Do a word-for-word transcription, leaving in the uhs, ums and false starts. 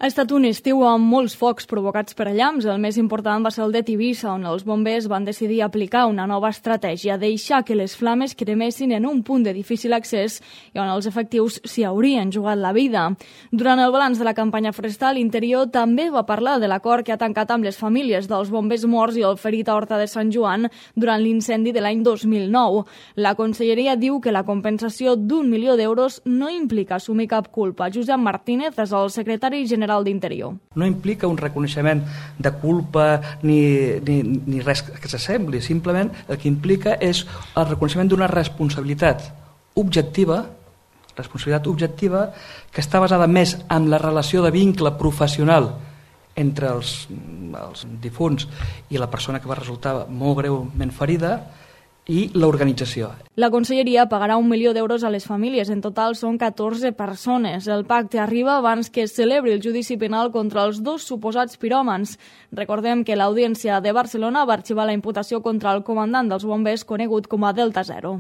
Ha estat un estiu amb molts focs provocats per llamps. El més important va ser el de Tivissa, on els bombers van decidir aplicar una nova estratègia, deixar que les flames cremessin en un punt de difícil accés i on els efectius s'hi haurien jugat la vida. Durant el balanç de la campanya forestal, Interior també va parlar de l'acord que ha tancat amb les famílies dels bombers morts i el ferit a Horta de Sant Joan durant l'incendi de l'any dos mil nou. La Conselleria diu que la compensació d'un milió d'euros no implica assumir cap culpa. Josep Martínez és el secretari general d'Interior. No implica un reconeixement de culpa ni, ni, ni res que s'assembli, simplement el que implica és el reconeixement d'una responsabilitat objectiva, responsabilitat objectiva que està basada més en la relació de vincle professional entre els, els difunts i la persona que va resultar molt greument ferida i l'organització. La Conselleria pagarà un milió d'euros a les famílies. En total són catorze persones. El pacte arriba abans que es celebri el judici penal contra els dos suposats piròmans. Recordem que l'Audiència de Barcelona va arxivar la imputació contra el comandant dels bombers conegut com a Delta Zero.